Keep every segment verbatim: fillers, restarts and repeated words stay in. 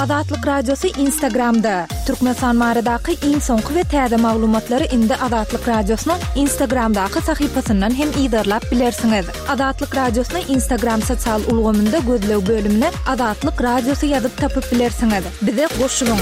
Azatlyk Radiosy Instagramda. Türkmenistan baradaky iň soňky we täze maglumatlary indi Azatlyk Radiosynyň Instagramdaky sahypasyndan hem yzarlap bilersiňiz. Azatlyk Radiosyny Instagram sosial ulgamynda gözleg bölümine Azatlyk Radiosy ýazyp tapyp bilersiňiz. Bize goşulyň.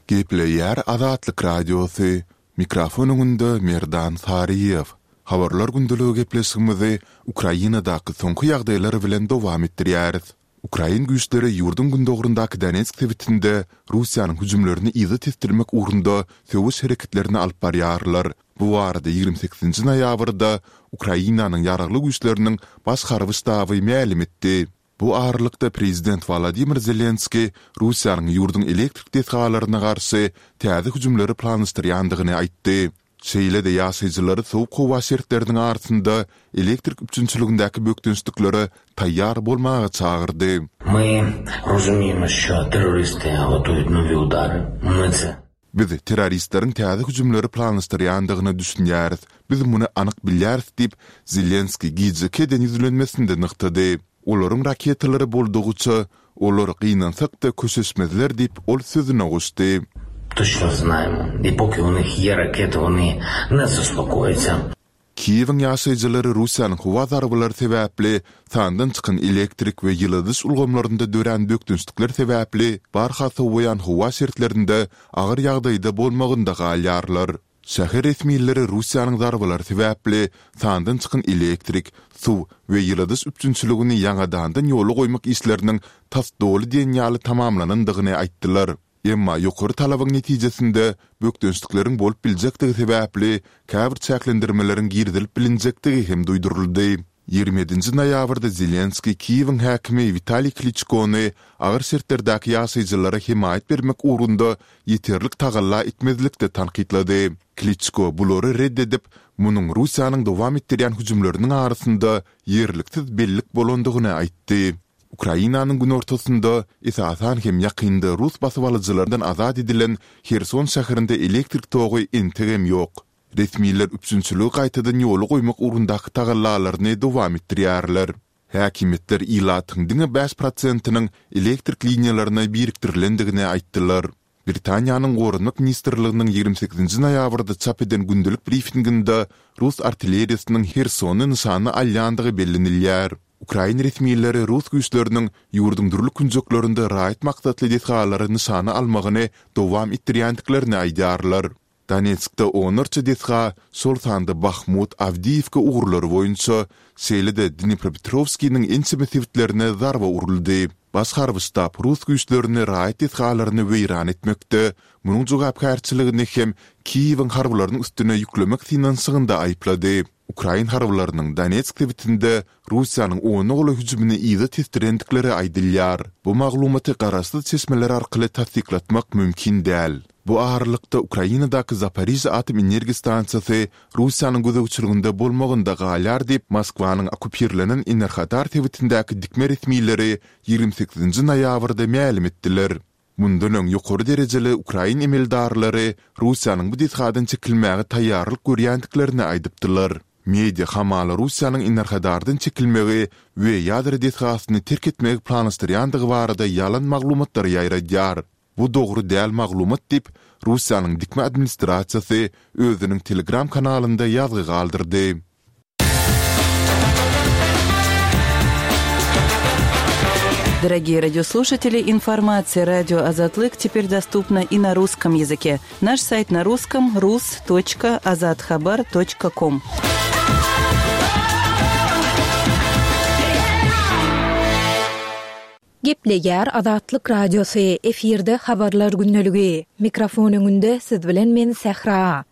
Gepleýär Azatlyk Radiosy. Mikrofon öňünde Merdan Saryýew. Habarlar gündeligi gepleşigimizi Ukrainadaky soňky ýagdaýlar bilen dowam etdirýäris. Ukrain güýçleri ýurduň gündogaryndaky Donetsk sebitinde Russiýanyň hüjümlerini yza tesdirmek ugrunda söweş hereketlerini alyp barýarlar. Bu barada ýigrimi sekizinji noýabrda Ukrainanyň Ýaragly Güýçleriniň Baş harby ştaby mälim etdi. Bu aralykda prezident Wolodymyr Zelenskiý Russiýanyň ýurduň elektrik desgalaryna garşy täze hüjümleri planlaşdyrýandygyny aýtdy. Şeýle-de ýaşaýjylary sowuk howa şertleriniň arasynda elektrik üpjünçiligindäki bökdençliklere taýýar bolmaga çagyrdy. Biz terroristleriň täze hüjümleri planlaşdyrýandygyna düşünýäris, biz muny anyk bilýäris diýip, Zelenskiý gijeki eden ýüzlenmesinde nygtady. Olaryň raketalary boldugyça, olar gynansak-da köşeşmezler diýip, ol sözüne goşdy. Kiýewiň ýaşaýjylary Russiýanyň howa zarbalary sebäpli sandan çykan elektrik we ýyladyş ulgamlarynda dörän bökdençlikler sebäpli barha sowaýan howa şertlerinde agyr ýagdaýda bolmagynda galýarlar. Şäher resmileri Russiýanyň zarbalary sebäpli sandan çykan elektrik, suw we ýyladyş üpjünçiligini ýaňadandan ýola goýmak işleriniň tas doly diýen ýaly tamamlanandygyny aýtdylar. Emma ýokary talabyň netijesinde bökdençlikleriň bolup biljekdigi sebäpli käbir çäklendirmeleriň girizilip bilinjekdigi hem duýduryldy. Ýigrimi ýedinji noýabrda Zelenskiý Kiýewiň häkimi Witaliý Kliçkony agyr şertlerdäki ýaşaýjylara hemaýat bermek ugrunda ýeterlik tagalla etmezlikde tankytlady. Kliçko bulary ret edip, munuň Russiýanyň dowam etdirýän hüjümleriniň arasynda ýerliksiz bellik bolandygyny aýtdy. Ukrainanyň günortasynda, esasan hem ýakynda rus basybalyjylardan azat edilen Herson şäherinde elektrik togy entegem ýok. Resmiler üpjünçiligi gaýtadan ýola goýmak ugrundaky tagallalaryny dowam etdirýärler. Häkimiýetler ilatyň diňe bäş prosentiniň elektrik liniýalaryna birikdirilendigini aýtdylar. Britaniýanyň Goranmak ministrliginiň ýigrimi sekizinji noýabrda çap eden gündelik brifinginde rus artilleriýasynyň Hersony nyşana alýandygy bellenilýär. Ukrain resmileri rus güýçleriniň ýurduň dürli künjeklerinde raýat maksatly desgalary nyşana almagyny dowam etdirýändiklerini aýdýarlar. Donetskde onlarça desga, şol sanda Bahmut, Awdiýiwka ugurlary boýunça, şeýle-de Dnipropetrowskiniň ençeme sebitlerine zarba uruldy. Baş harby ştab rus güýçlerini raýat desgalaryny weýran etmekde, munuň jogapkärçiligini hem Kiýewiň harbylarynyň üstüne ýüklemek synanyşygynda aýyplady. Ukrain harbylarynyň Donetsk sebitinde Russiýanyň ona golaý hüjümini yza tesdirendikleri aýdylýar. Bu maglumaty garaşsyz çeşmeler arkaly tassyklatmak mümkin däl. Bu aralykda, Ukrainadaky Zaporižýa atom energiýa stansiýasy Russiýanyň gözegçiliginde bolmagynda galýar diýip, Moskwanyň okkupirlenen Enerhodar sebitindäki dikme resmileri ýigrimi sekizinji noýabrda mälim etdiler. Mundan öň ýokary derejeli ukrain emeldarlary Russiýanyň bu desgadan çekilmäge taýýarlyk görýändiklerini aýdypdylar. Media hamala Russiýanyň Enerhodardan çekilmegi we ýadro desgasyny terk etmegi planlaşdyrýandygy barada ýalan maglumatlary ýaýradýar. Bu dogry däl maglumat diýip, Russiýanyň dikme administrasiýasy özüniň Telegram kanalynda ýazgy galdyrdy. Дорогие радиослушатели, информация радио Азатлык теперь доступна и на русском языке. Наш сайт на русском rus.azathabar.com. Gepleýär Azatlyk Radiosy, efirde Habarlar gündeligi. Mikrofon öňünde siz bilen men Sähra.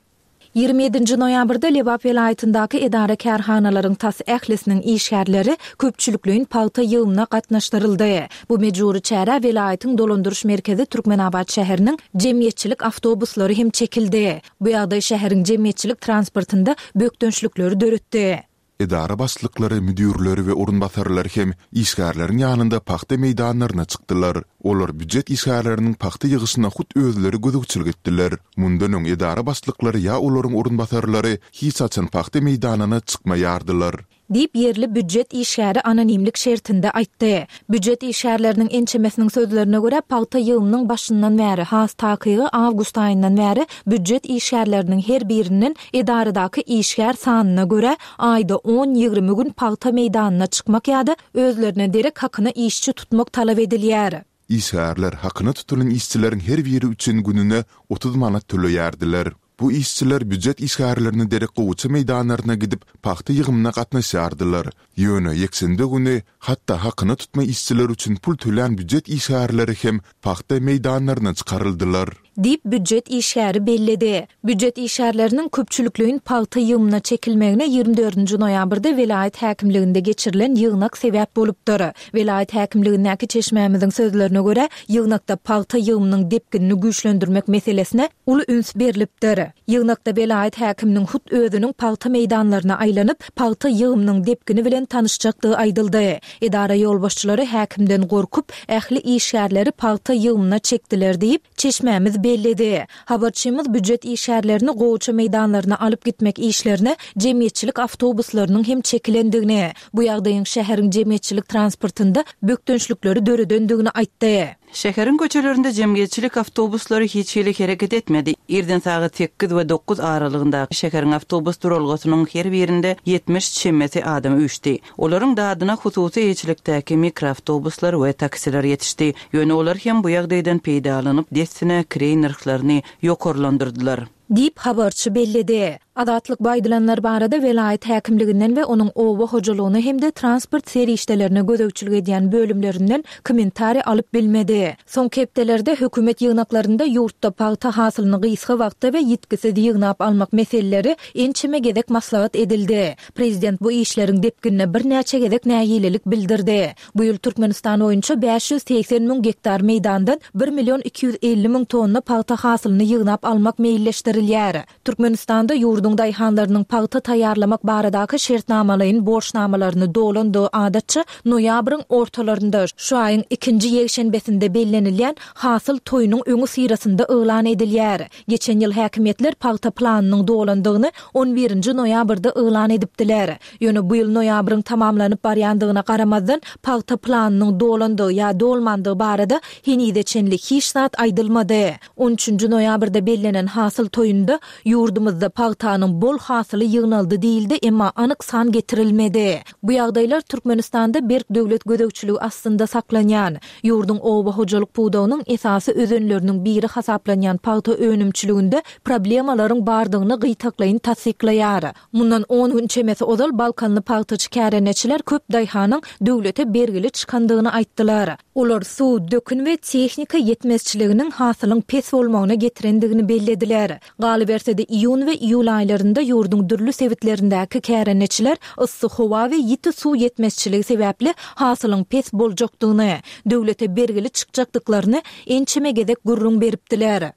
Ýigrimi ýedinji noýabrda Lebap welaýatyndaky edara-kärhanalaryň tas ählisiniň işgärleri köpçülikleýin pagta ýygymyna gatnaşdyryldy. Bu mejbury çärä welaýatyň dolandyryş merkezi Türkmenabat şäheriniň jemgyýetçilik awtobuslary hem çekildi. Bu ýagdaý şäheriň jemgyýetçilik transportynda bökdençlikleri döretdi. Edara başlyklary, müdirleri we orunbasarlary hem işgärleriň ýanynda pagta meýdanlaryna çykdylar. Olar býujet işgärleriniň pagta ýygyşyna hut özleri gözegçilik etdiler. Mundan öň edara başlyklary ýa olaryň orunbasarlary hiç haçan pagta meýdanyna çykmaýardylar. Diýip, ýerli býujet işgäri anonimlik şertinde aýtdy. Býujet işgärleriniň ençemesiniň sözlerine görä, pagta ýygymynyň başyndan bäri, has takygy awgust aýyndan bäri býujet işgärleriniň her birinden edaradaky işgär sanyna görä, aýda on-ýigrimi gün pagta meýdanyna çykmak ýa-da özlerine derek hakyna işçi tutmak talap edilýär. Işgärler hakyna tutulan işçileriň her biri üçin gününe otuz manat töleýärdiler. Bu işçiler býujet işgärlerine derek gowaça meýdanlaryna gidip, pagta ýygymyna gatnaşýardylar. Ýöne ýekşenbe güni hatda hakyna tutma işçiler üçin pul tölän býujet işgärleri hem pagta meýdanlaryna çykaryldylar. Diýip, býujet işgäri belledi. Býujet işgärleriniň köpçülikleýin pagta ýygymyna çekilmegine ýigrimi dördünji noýabrda welaýat häkimliginde geçirilen ýygnak sebäp bolupdyr. Welaýat häkimligindäki çeşmämiziň sözlerine görä, ýygnakda pagta ýygymynyň depginini güýçlendirmek meselesine uly üns berlipdir. Ýygnakda welaýat häkiminiň hut özüniň pagta meýdanlaryna aýlanyp, pagta ýygymynyň depgini bilen tanyşjakdygy aýdyldy. Edara ýolbaşçylary häkimden gorkup, ähli işgärleri pagta ýygymyna çekdiler diýip, çeşmämiz belledi. Habarçymyz býujet işgärlerini gowaça meýdanlaryna alyp gitmek işlerine jemgyýetçilik awtobuslarynyň hem çekilendigini, bu ýagdaýyň şäheriň jemgyýetçilik transportynda bökdençlikleri döredendigini aýtdy. Şäheriň köçelerinde jemgyýetçilik awtobuslary hiç hili hereket etmedi. Irden sagat sekiz we dokuz aralygyndaky şäheriň awtobus duralgasynyň her birinde ýetmiş çemesi adam üýşdi. Olaryň dadyna hususy eýeçilikdäki mikroawtobuslar we taksiler ýetişdi. Ýöne olar hem bu ýagdaýdan peýdalanyp, dessine kireý nyrhlaryny ýokarlandyrdylar. Diýip, habarçy belledi. Azatlyk bu aýdylanlar barada welaýat häkimliginden we onuň oba hojalygyna hem-de transport serişdelerine gözegçilik edýän bölümlerinden kommentariý alyp bilmedi. Soňky hepdelerde hökümet ýygnaklarynda ýurtda pagta hasylyny gysga wagtda we ýitgisiz ýygnap almak meseleleri ençeme gezek maslahat edildi. Prezident bu işleriň depginine birnäçe gezek nägilelik bildirdi. Bu ýyl Türkmenistan boýunça bäş ýüz segsen müň gektar meýdandan bir million iki ýüz elli müň tonna pagta hasylyny ýygnap almak meýilleşdirilýär. Türkmenistanda ýurduň daýhanlarynyň pagta taýýarlamak baradaky şertnamalaýyn borçnamalaryny dolandygy adatça noýabryň ortalarynda, şu aýyň ikinji ýekşenbesinde bellenilýän hasyl toýunyň öňi syrasynda yglan edilýär. Geçen ýyl häkimiýetler pagta planynyň dolandygyny on birinji noýabrda yglan edipdiler. Ýöne bu ýyl noýabryň tamamlanyp barýandygyna garamazdan pagta planynyň dolandygy ýa dolmandygy barada henize çenli hiç zat aýdylmady. On üçünji noýabrda bellenen hasyl toýunda ýurdumyzda pagtanyň bol hasyly ýygnaldy diýildi, emma anyk san getirilmedi. Bu ýagdaýlar Türkmenistanda berk döwlet gözegçiligi astynda saklanýan, ýurduň oba hojalyk pudagynyň esasy özenleriniň biri hasaplanýan pagta önümçiliginde problemalaryň bardygyny gytaklaýyn tassyklaýar. Mundan on gün çemesi ozal Balkanly pagtaçy kärendeçiler köp daýhanyň döwlete bergili çykandygyny aýtdylar. Olar suw, dökün we tehnika ýetmezçiliginiň hasylyň pes bolmagyna getirendigini bellediler. Galyberse-de iýun we iýul aýlarynda ýurduň dürli sebitlerindäki kärendeçiler yssy howa we ýiti suw ýetmezçiligi sebäpli hasylyň pes boljakdygyny, döwlete bergili çykjakdyklaryny ençeme gezek gürrüň beripdiler.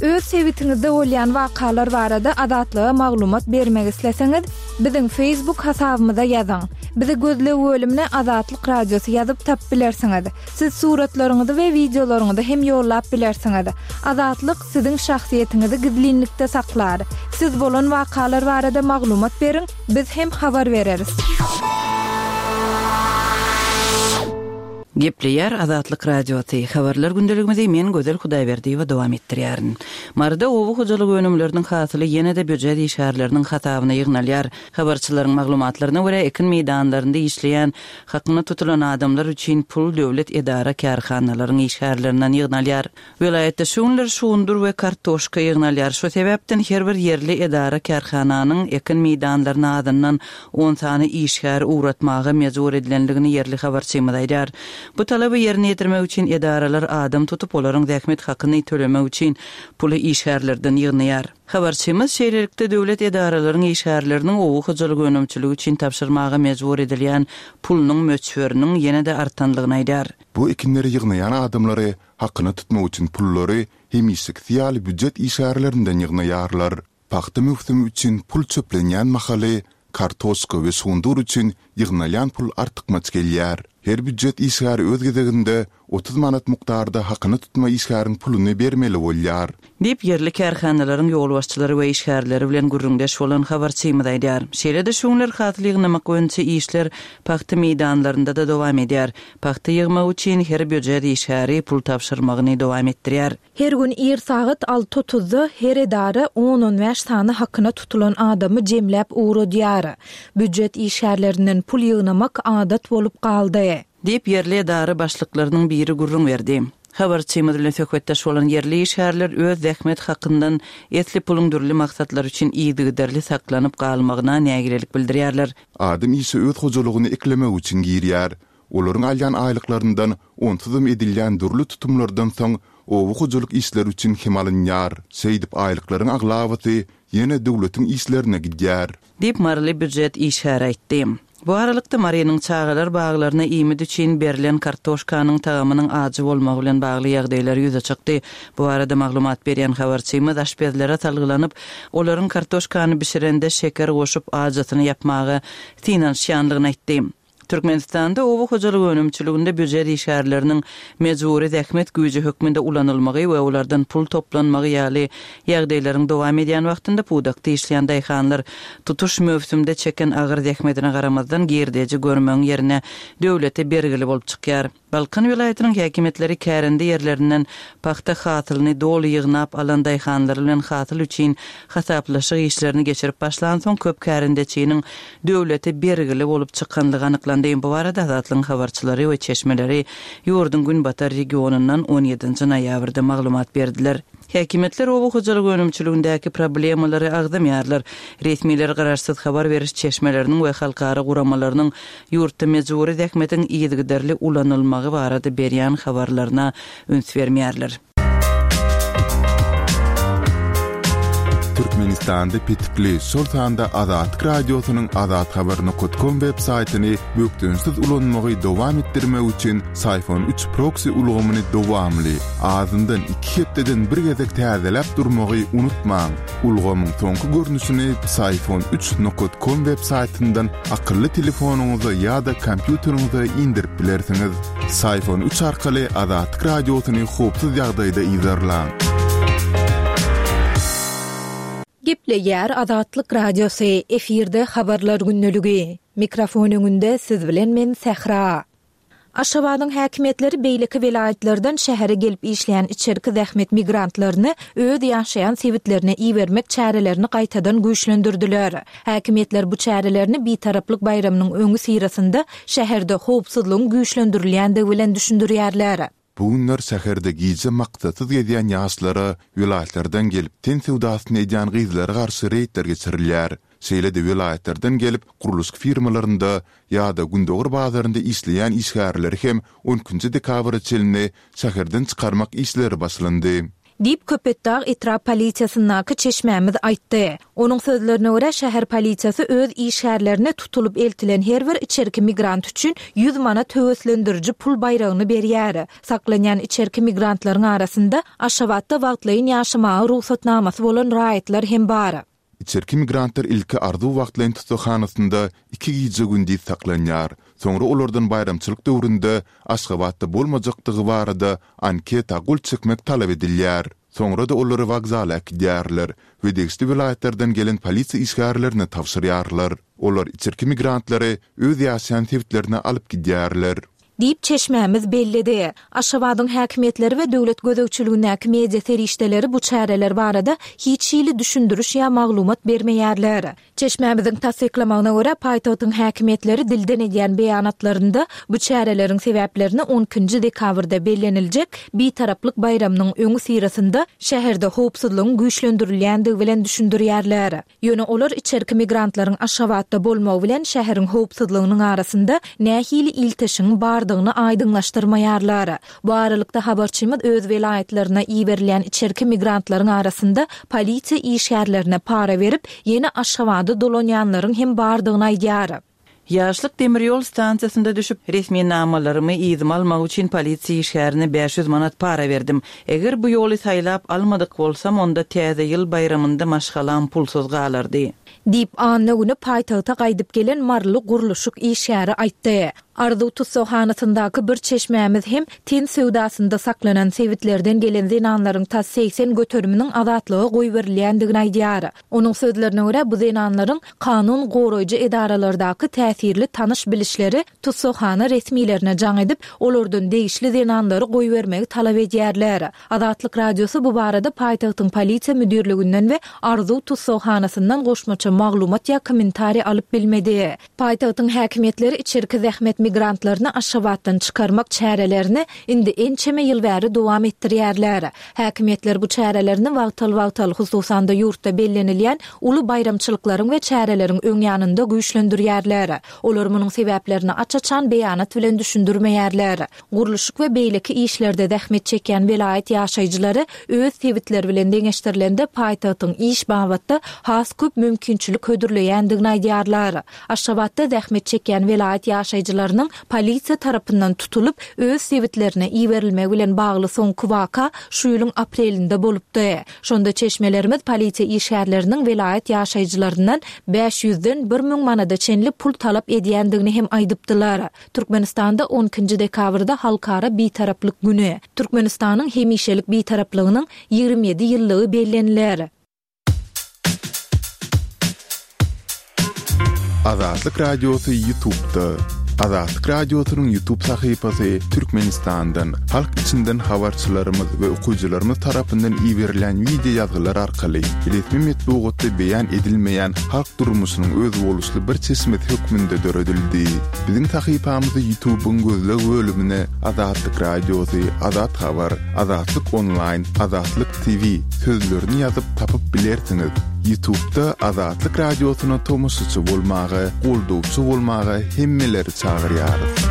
Öz sebitiňizde bolýan wakalar barada Azatlyga maglumat bermek isleseňiz, biziň Facebook hasabymyza ýazyň. Bizi gözleg bölümine Azatlyk Radiosy ýazyp tap bilersiňiz. Siz suratlaryňyzy we wideolaryňyzy hem ýollap bilersiňiz. Azatlyk siziň şahsyýetiňizi gizlinlikde saklar. Siz bolan wakalar barada maglumat beriň, biz hem habar bereris. Gepleýär Azatlyk Radiosy. Habarlar gündeligimizi men Gözel Hudaýberdiýewa dowam etdirýärin. Maryda oba hojalyk önümleriniň hasyly ýene-de býujet işgärleriniň hasabyna ýygnalýar. Habarçylaryň maglumatlaryna görä, ekin meýdanlarynda işleýän hakyna tutulan adamlar üçin pul döwlet edara kärhanalaryň işgärlerinden ýygnalýar. Welaýatda şu günler şugundyr we kartoşka ýygnalýar. Şu sebäpden her bir ýerli edara kärhananyň ekin meýdanlaryna azyndan on sany işgär ugratmaga mejbur edilendigini ýerli habarçymyz aýdar. Bu talaby ýerine ýetirmek üçin edaralar adam tutup, olaryň zähmet hakyny tölemek üçin puly işgärlerden ýygnaýar. Habarçymyz şeýlelikde döwlet edaralaryň işgärleriniň oba hojalyk önümçiligi üçin tabşyrmaga mejbur edilýän pulunyň möçberiniň ýene-de artanlygyny aýdar. Bu ekinleri ýygnaýan adamlary hakyna tutmak üçin pullary hemişeki ýaly býujet işgärlerinden ýygnaýarlar. Pagta möwsümi üçin pul çöplenýän mahaly kartoşka we şugundyr üçin ýygnalýan pul artykmaç gelýär. Her býujet işgäri öz gezeginde otuz manat mukdarda hakyna tutma işgäriň puluny bermeli bolýar. Diýip, ýerli kärhanalaryň ýolbaşçylary we işgärleri bilen gürrüňdeş bolan habarçymyz aýdýar. Şeýle-de şu günler hasyl ýygnamak boýunça işler pagta meýdanlarynda-da dowam edýär. Pagta ýygmak üçin her býujet işgäri pul tabşyrmagyny dowam etdirýär. Her gün ir sagat alty otuzda her edara on-on bäş sany hakyna tutulan adamy jemläp ugradýar. Býujet işgärlerinden pul ýygnamak adat bolup galdy. Diýip, ýerli edara başlyklarynyň biri gürrüň berdi. Habarçymyz bilen söhbetdeş bolan ýerli işgärler öz zähmet hakyndan esli puluň dürli maksatlar üçin yzygiderli saklanyp galmagyna nägilelik bildirýärler. Adam işe öz hojalygyny eklemek üçin girýär. Olaryň alýan aýlyklaryndan onsuzam edilýän dürli tutumlardan soň oba hojalyk işleri üçin hem alynýar. Şeýdip aýlyklaryň aglabasy ýene döwletiň işlerine gidýär. Diýip, Maryly býujet işgäri aýtdy. Bu aralykda Marynyň çagalar baglaryna iýmit üçin berlen kartoşkanyň tagamynyň ajy bolmagy bilen bagly ýagdaýlar ýüze çykdy. Bu arada maglumat berýän habarçymyz aşpezlere salgylanyp, olaryň kartoşkany bişirende şeker goşup ajysyny ýapmaga synanyşýanlygyny aýtdy. Türkmenistanda oba hojalyk önümçiliginde býujet işgärleriniň mejbury zähmet güýji hökmünde ulanylmagy we olardan pul toplanmagy ýaly ýagdaýlaryň dowam edýän wagtynda pudakda işleýän daýhanlar tutuş möwsümde çeken agyr zähmetine garamazdan girdeji görmegiň ýerine döwlete bergili bolup çykýar. Balkan welaýatynyň häkimiýetleri kärende ýerlerinden pagta hasylyny doly ýygnap alan daýhanlar bilen hasyl üçin hasaplaşyk işlerini geçirip başlan soň köp kärendeçiniň döwlete bergili bolup çykanlygy anyklandy. Bu arada Azatlygyň habarçylary we çeşmeleri ýurduň günbatar regionyndan on ýedinji noýabrda maglumat berdiler. Häkimiýetler oba hojalyk önümçiligindäki problemalary agzamaýarlar. Resmiler garaşsyz habar beriş çeşmeleriniň we halkara guramalarynyň ýurtda mejbury zähmetiň yzygiderli ulanylmagy barada berýän habarlaryna üns bermeýärler. Türkmenistanda petikli, şol sanda Azatlyk Radiosynyň azathabar nokta com web saýtyny bökdençsiz ulanmagy dowam etdirmek üçin Syfon üç proxy ulgamyny dowamly, azyndan iki hepdeden bir gezek täzeläp durmagy unutmaň. Ulgamyň soňky görnüşini Syfon üç nokta com web saýtyndan akylly telefonyňyza ýa-da kompýuteriňize indirip bilersiňiz. Syfon üç arkaly Azatlyk Radiosyny howpsuz ýagdaýda yzarlaň. Gepleýär Azatlyk Radiosy, efirde habarlar gündeligi. Mikrofon öňünde siz bilen men Sähra. Aşgabadyň häkimiýetleri beýleki welaýatlardan şähere gelip işleýän içerki zähmet migrantlaryny öz ýaşaýan sebitlerine ibermek çärelerini gaýtadan güýçlendirdiler. Häkimiýetler bu çärelerini Bitaraplyk baýramynyň öňi syrasynda şäherde howpsuzlygyň güýçlendirilýändigi bilen düşündirýärler. Bu günler şäherde gije maksatsyz gezýän ýaşlara welaýatlardan gelip ten söwdasyny edýän gyzlara garşy reýdler geçirilýär. Şeýle-de welaýatlardan gelip gurluşyk firmalarynda ýa-da gündogar bazarynda işleýän işgärleri hem on ikinji dekabra çenli şäherden çykarmak işleri başlandy. Diýip Köpetdag etrap polisiýasyndaky çeşmämiz aýtdy. Onuň sözlerine görä şäher polisiýasy öz işgärlerine tutulyp eltilen her bir içerki migrant üçin ýüz manat höweslendiriji pul baýragyny berýär. Saklanýan içerki migrantlaryň arasynda Aşgabatda wagtlaýyn ýaşamaga rugsatnamasy bolan raýatlar hem bar. Içerki migrantlar ilki arzuw wagtlaýyn tussaghanasynda iki gije gündiz saklanýar. Soňra olardan baýramçylyk döwründe Aşgabatda bolmajakdygy barada anketa gol çekmek talap edilýär. Soňra da olary wokzala äkidýärler we degişli welaýatlardan gelen polisiýa işgärlerine tabşyrýarlar. Olar içerki migrantlary öz ýaşaýan sebitlerine alyp gidýärler. Diýip çeşmämiz belledi. Aşgabadyň häkimiýetleri we döwlet gözegçiligindäki media serişdeleri bu çäreler barada hiç hili düşündiriş ýa maglumat bermeýärler. Çeşmämiziň tassyklamagyna görä paýtagtyň häkimiýetleri dilden edýän beýanatlarynda bu çäreleriň sebäplerini on ikinji dekabrda belleniljek Bitaraplyk baýramynyň öňi syrasynda şäherde howpsuzlygyň güýçlendirilýändigi bilen düşündirýärler. Ýöne olar içerki migrantlaryň Aşgabatda bolmagy bilen şäheriň howpsuzlygynyň arasynda nähili ilteşigiň bardygyny aýdyňlaşdyrmaýarlar. Bu aralykda habarçymyz öz welaýatlaryna iberilýän içerki migrantlaryň arasynda polisiýa işgärlerine para berip, ýene Aşgabada dolanýanlaryň hem bardygyny aýdýar. Ýaşlyk demir ýol stansiýasynda düşüp, resmi namalarymy yzyma almak üçin polisiýa işgärine bäş ýüz manat para berdim. Eger bu ýoly saýlap almadyk bolsam, onda täze ýyl baýramynda maşgalam pulsuz galardy. Diýip, anna güni paýtagta gaýdyp gelen Maryly gurluşyk işgäri aýtdy. Arzuw tussaghanasyndaky bir çeşmämiz hem ten söwdasynda saklanan sebitlerden gelen zenanlaryň tas segsen göteriminiň azatlyga goýberilýändigini aýdýar. Onuň sözlerine görä, bu zenanlaryň kanun goraýjy edaralardaky täsirli tanyş-bilişleri tussaghana resmilerine jaň edip, olardan degişli zenanlary goýbermegi talap edýärler. Azatlyk Radiosy bu barada paýtagtyň polisiýa müdirliginden we Arzuw tussaghanasyndan goşmaça maglumat ýa kommentariý alyp bilmedi. Paýtagtyň häkimiýetleri içerki zähmet migrantlaryny Aşgabatdan çykarmak çärelerini indi ençeme ýyl bäri dowam etdirýärler. Häkimiýetler bu çärelerini wagtal-wagtal, hususan-da ýurtda bellenilýän uly baýramçylyklaryň we çäreleriň öň ýanynda güýçlendirýärler. Olar munuň sebäplerini aç-açan beýanat bilen düşündirmeýärler. Gurluşyk we beýleki işlerde zähmet çekýän welaýat ýaşaýjylary öz sebitleri bilen deňeşdirilende paýtagtyň iş babatda has köp mümkinçilik hödürleýändigini aýdýarlar. Aşgabatda zähmet çekýän welaýat ýaşaýjylarynyň polisiýa tarapyndan tutulyp, öz sebitlerine iberilmegi bilen bagly soňky waka şu ýylyň aprelinde bolupdy. Şonda çeşmelerimiz polisiýa işgärleriniň welaýat ýaşaýjylaryndan bäş ýüzden bir müň manada çenli pul talap edýändigini hem aýdypdylar. Türkmenistanda on ikinji dekabrda Halkara Bitaraplyk güni, Türkmenistanyň hemişelik Bitaraplygynyň ýigrimi ýedi ýyllygy belleniler. Azatlyk Radiosy YouTube'da. Azatlyk Radiosynyň YouTube sahypasy Türkmenistandan, halk içinden habarçylarymyz we okyjylarymyz tarapyndan iberilen wideo ýazgylar arkaly resmi metbugatda beýan edilmeýän halk durmuşynyň özboluşly bir çeşmesi hökmünde döredildi. Biziň sahypamyzy YouTube'yň gözleg bölümine Azatlyk Radiosy, Azat Habar, Azatlyk Online, Azatlyk T V sözlerini ýazyp tapyp bilersiňiz. YouTube'da Azatlyk Radiosyna tomaşaçy bolmaga, goldawçy bolmaga hemmeleri çagyrýarys.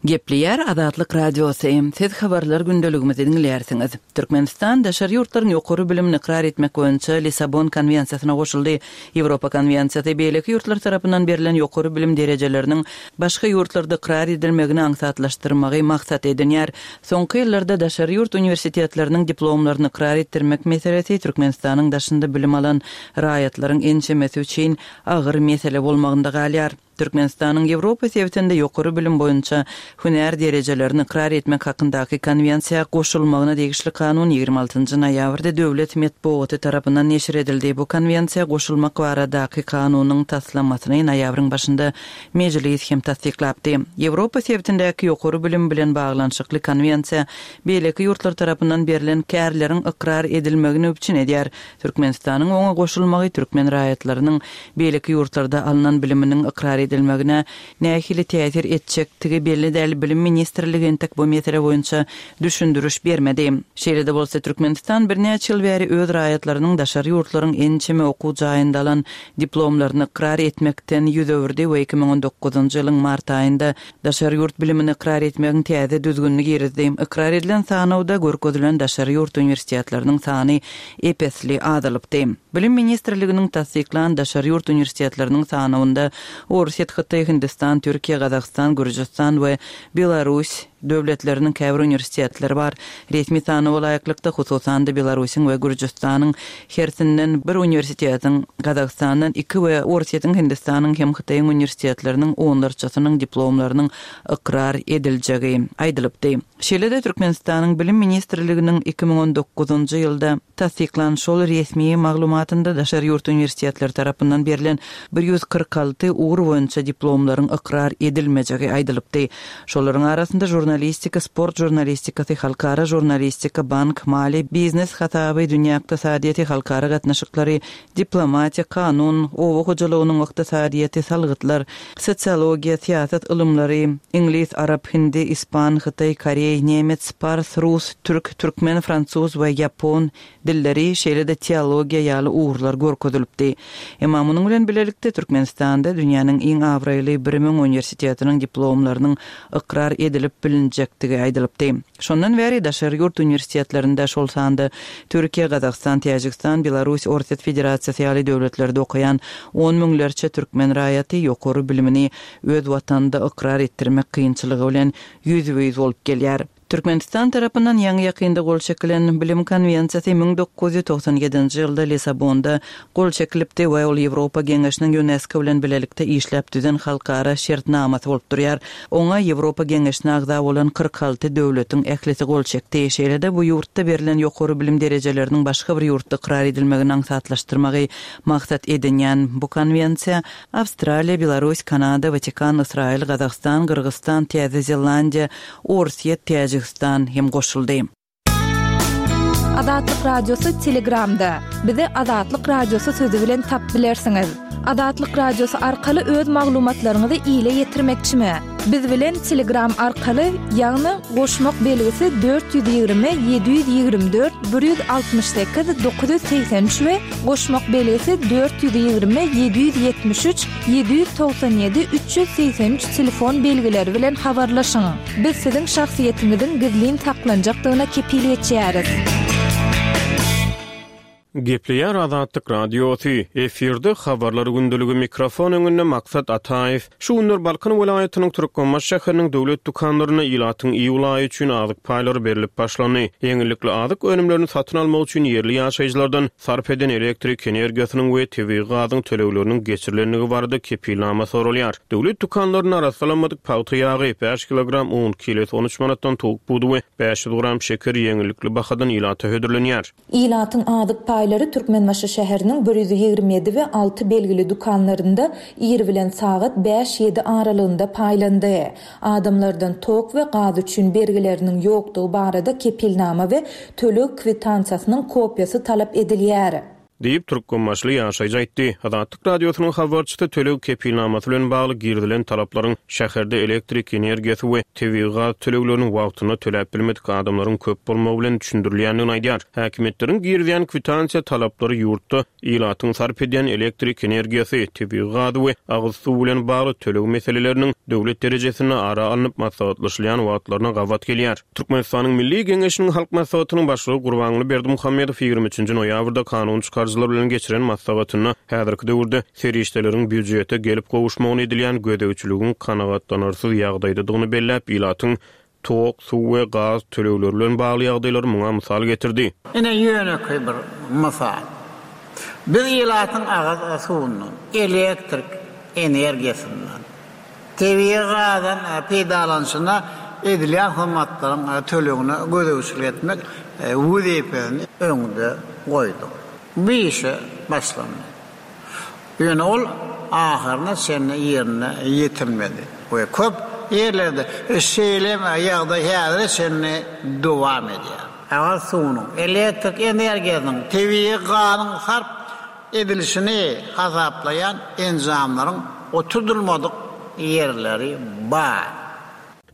Gepleýär Azatlyk Radiosy. Siz habarlar gündeligimizi diňleýärsiňiz. Türkmenistan daşary ýurtlaryň ýokary bilimini ykrar etmek boýunça Lissabon konwensiýasyna goşuldy. Ýewropa konwensiýasy beýleki ýurtlar tarapyndan berlen ýokary bilim derejeleriniň başga ýurtlarda ykrar edilmegini aňsatlaşdyrmagy maksat edinýär. Soňky ýyllarda daşary ýurt uniwersitetleriniň diplomlaryny ykrar etdirmek meselesi Türkmenistanyň daşynda bilim alan raýatlaryň ençemesi üçin agyr mesele bolmagynda galýar. Türkmenistanyň Ýewropa sebitinde ýokary bilim boýunça hünär derejelerini ykrar etmek hakyndaky konwensiýa goşulmagyna degişli kanun ýigrimi altynjy noýabrda döwlet metbugaty tarapyndan neşir edildi. Bu konwensiýa goşulmak baradaky kanunyň taslamasyny noýabryň başynda mejlis hem tassyklapdy. Ýewropa sebitindäki ýokary bilim bilen baglanyşykly konwensiýa beýleki ýurtlar tarapyndan berlen kärleriň ykrar edilmegini üpjün edýär. Türkmenistanyň oňa goşulmagy türkmen raýatlarynyň beýleki ýurtlarda alynan biliminiň ykrar edilmegine nähili täsir etjekdigi belli däl. Bilim ministrligi entek bu mesele boýunça düşündiriş bermedi. Şeýle-de bolsa Türkmenistan birnäçe ýyl bäri öz raýatlarynyň daşary ýurtlaryň ençeme okuw jaýynda alan diplomlaryny ykrar etmekden ýüz öwürdi we iki müň on dokuzynjy ýylyň mart aýynda daşary ýurt bilimini ykrar etmegiň täze düzgünini girizdi. Ykrar edilen sanawda görkezilen daşary ýurt uniwersitetleriniň sany epesli azalypdy. Bilim ministrliginiň tassyklan daşary ýurt uniwersitetleriniň sanawynda Orsýet, Hytaý, Hindistan, Türkiýe, Gazagystan, Gürjüstan we Belarus döwletleriniň käbir uniwersitetleri bar. Resmi sanawa laýyklykda hususan-da Belarusyň we Gürjüstanyň hersinden bir uniwersitetiň, Gazagystandan iki we Orsýetiň, Hindistanyň hem Hytaýyň uniwersitetleriniň onlarçasynyň diplomlarynyň ykrar ediljegi aýdylypdy. Şeýle-de Türkmenistanyň Bilim ministrliginiň iki müň on dokuzynjy ýylda tassyklan şol resmi maglumatynda daşary ýurt uniwersitetleri tarapyndan berlen bir ýüz kyrk alty ugur boýunça diplomlaryň ykrar edilmejegi aýdylypdy. Şolaryň arasynda žurnalistika, sport žurnalistikasy, halkara žurnalistika, bank, maliýe, biznes hasaby, dünýä ykdysadyýeti, halkara gatnaşyklary, diplomatiýa, kanun, oba hojalygynyň ykdysadyýeti, salgytlar, sosiologiýa, syýasat ylymlary, iňlis, arap, hindi, ispan, hytaý, koreý, nemets, pars, rus, türk, türkmen, fransuz we ýapon dilleri, şeýle-de teologiýa ýaly ugurlar görkezilipdi. Emma munuň bilen bilelikde Türkmenistanda dünýäniň iň abraýly bir müň uniwersitetiniň diplomlarynyň ykrar edilip bilinjekdigi aýdylypdy. Şondan bäri daşary ýurt uniwersitetlerinde şol sanda Türkiýe, Gazagystan, Täjigistan, Belarus, Orsýet Federasiýasy ýaly döwletlerde okaýan on müňlerçe türkmen raýaty ýokary bilimini öz watanynda ykrar etdirmek kynçylygy bilen ýüzbe-ýüz bolup gelýär. Türkmenistan tarapyndan ýaňy-ýakynda gol çekilen Bilim konwensiýasy müň dokuz ýüz togsan ýedinji ýylda Lissabonda gol çekilipdi we ol Ýewropa Geňeşiniň Ýunesko bilen bilelikde işläp düzen halkara şertnamasy bolup durýar. Oňa Ýewropa Geňeşine agza bolan kyrk alty döwletiň ählisi gol çekdi. Şeýle-de bu ýurtda berlen ýokary bilim derejeleriniň başga bir ýurtda ykrar edilmegini aňsatlaşdyrmagy maksat edinýän bu konwensiýa Awstraliýa, Belarus, Kanada, Watikan, Ysraýyl, Gazagystan, Gyrgyzystan, Täze Zelandiýa, Orsýet, Täjigistan hem goşuldy. Azatlyk Radiosy Telegramda. Bizi Azatlyk Radiosy sözi bilen tap bilersiňiz. Azatlyk Radiosy arkaly öz maglumatlaryňyzy ile ýetirmekçimi? Biz bilen Telegram arkaly, ýagny goşmak belgisi dört ýüz ýigrimi ýedi ýüz ýigrimi dört bir ýüz altmyş sekiz dokuz ýüz segsen üç we goşmak belgisi dört ýüz ýigrimi ýedi ýüz ýetmiş üç ýedi ýüz togsan ýedi üç ýüz segsen üç telefon belgileri bilen habarlaşyň. Biz siziň şahsyýetiňiziň gizlin saklanjakdygyna kepil geçýäris. Gepleýär Azatlyk Radiosy, efirde habarlar gündeligi mikrofon öňünde Maksat Ataýew. Şu günler Balkan welaýatynyň Türkmenbaşy şäheriniň döwlet dükanlarynda ilatyň iýul aýy üçin azyk paýlary berlip başlandy. Ýeňillikli azyk önümlerini satyn almak üçin ýerli ýaşaýjylardan sarp eden elektrik energiýasynyň we tebigy gazyň tölegleriniň geçirilendigi barada kepilnama soralýar. Döwlet dükanlarynda arassalanmadyk pagta ýagy, bäş kilogram un, kilesi on üç manatdan towuk budy we bäş ýüz gram şeker ýeňillikli bahadan ilata hödürlenýär. Ilatyň azyk paýlary Türkmenbaşy şäheriniň bir ýüz ýigrimi ýedi we alty belgili dükanlarynda ir bilen sagat bäş-ýedi aralygynda paýlandy. Adamlardan tok we gaz üçin bergileriniň ýokdugy barada kepilnama we töleg kwitansiýasynyň kopiýasy talap edilýär. Diýip, Türkmenbaşyly ýaşaýjy aýtdy. Azatlyk Radiosynyň habarçysy töleg kepilnamasy bilen bagly girizilen talaplaryň şäherde elektrik energiýasy we tebigy gaz tölegleriniň wagtynda töläp bilmedik adamlaryň köp bolmagy bilen düşündirilýändigini aýdýar. Häkimiýetleriň girizýän kwitansiýa talaplary ýurtda ilatyň sarp edýän elektrik energiýasy, tebigy gazy we agyz suwy bilen bagly töleg meseleleriniň döwlet derejesinde ara alnyp maslahatlaşylýan wagtlaryna gabat gelýär. Türkmenistanyň Milli Geňeşiniň Halk Maslahatynyň başlygy Gurbanguly Berdimuhamedow ýigrimi üçünji noýabrda kanun çykaryjylar bilen geçiren maslahatynda häzirki döwürde serişdeleriň býujete gelip gowuşmagyny edilýän gözegçiligiň kanagatlanarsyz ýagdaýdadygyny belläp, ilatyň tok, suw we gaz tölegleri bilen bagly ýagdaýlary muňa mysal getirdi. Ine ýönekeý bir mysal. Biz ilatyň agyz suwundan, elektrik energiýasyndan, tebigy gazdan peýdalanyşyna edilýän hyzmatlaryň tölegine gözegçilik etmek wezipesini öňde goýduk. Bu işe başlandy. Ýöne ol ahyryna çenli ýerine ýetirmedi we köp ýerlerde şeýle ýagdaý häzire çenli dowam edýär. Agyz suwunyň, elektrik energiýasynyň, tebigy gazyň sarp edilişini hasaplaýan enjamlaryň oturdylmadyk ýerleri bar.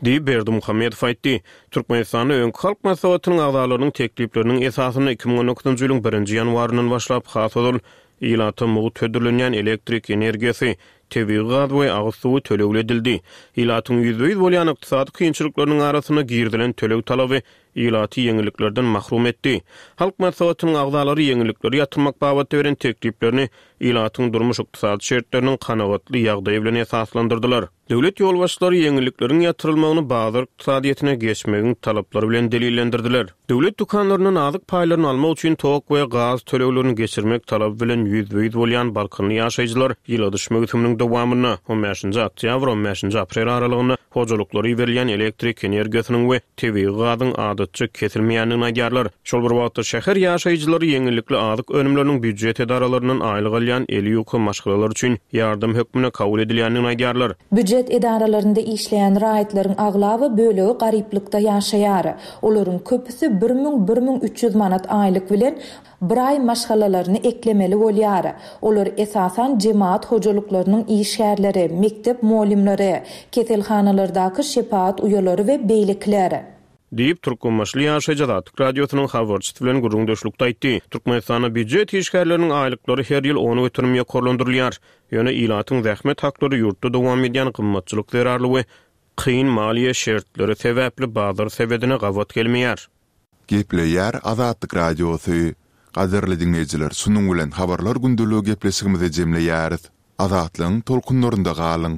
Diýip Berdimuhamedow aýtdy. Türkmenistanda öňki Halk Maslahatynyň agzalarynyň teklipleriniň esasynda iki müň on dokuzynjy ýylyň birinji ýanwaryndan başlap has ozal ilata mugt hödürlenýän elektrik energiýasy, tebigy gaz we agyz suwy tölegli edildi. Ilatyň ýüzbe-ýüz bolýan ykdysady kynçylyklarynyň arasynda girizilen töleg talaby ilaty ýeňilliklerden mahrum etdi. Halk Maslahatynyň agzalary ýeňillikleri ýatyrmak babatda beren tekliplerini ilatyň durmuş ykdysady şertleriniň kanagatly ýagdaýy bilen esaslandyrdylar. Döwlet ýolbaşçylary ýeňillikleriň ýatyrylmagyny bazar ykdysadyýetine geçmegiň talaplary bilen delillendirdiler. Döwlet dükanlaryndan azyk paýlaryny almak üçin tok we gaz töleglerini geçirmek talaby bilen ýüzbe-ýüz bolýan Balkanly ýaşaýjylar ýyladyş möwsüminiň dowamynda on bäşinji oktýabr on bäşinji aprel aralygynda hojalyklary berilýän elektrik energiýasynyň we tebigy gazyň adatça kesilmeýändigini aýdýarlar. Şol bir wagtda şäher ýaşaýjylary ýeňillikli azyk önümleriniň býujet edaralaryndan aýlyk alýan eli ýuka maşgalalar üçin ýardam hökmünde kabul edilýändigini aýdýarlar. Býujet edaralarynda işleýän raýatlaryň aglaba bölegi garyplykda ýaşaýar. Olaryň köpüsi bir müň bir müň üç ýüz manat aýlyk bilen bir aý maşgalalaryny eklemeli bolýar. Olar esasan jemaat hojalyklarynyň işgärleri, mekdep muallimleri, keselhanalardaky şepaat uýalary we beýlekiler. Diýip, Türkmenbaşyly ýaşaýjy Azatlyk Radiosynyň habarçysy bilen gürrüňdeşlikde aýtdy. Türkmenistanda býujet işgärleriniň aýlyklary her ýyl on göterim ýokarlandyrylýar. Ýöne ilatyň zähmet haklary ýurtda dowam edýän gymmatçylyk zerarly we kyn maliýe şertleri sebäpli bazar sebedine gabat gelmeýär. Gepleýär Azatlyk Radiosy. Gadyrly dinleýjiler, şunuň bilen habarlar gündeligi gepleşigimizi jemleýäris. Azatlygyň tolkunlarynda galyň.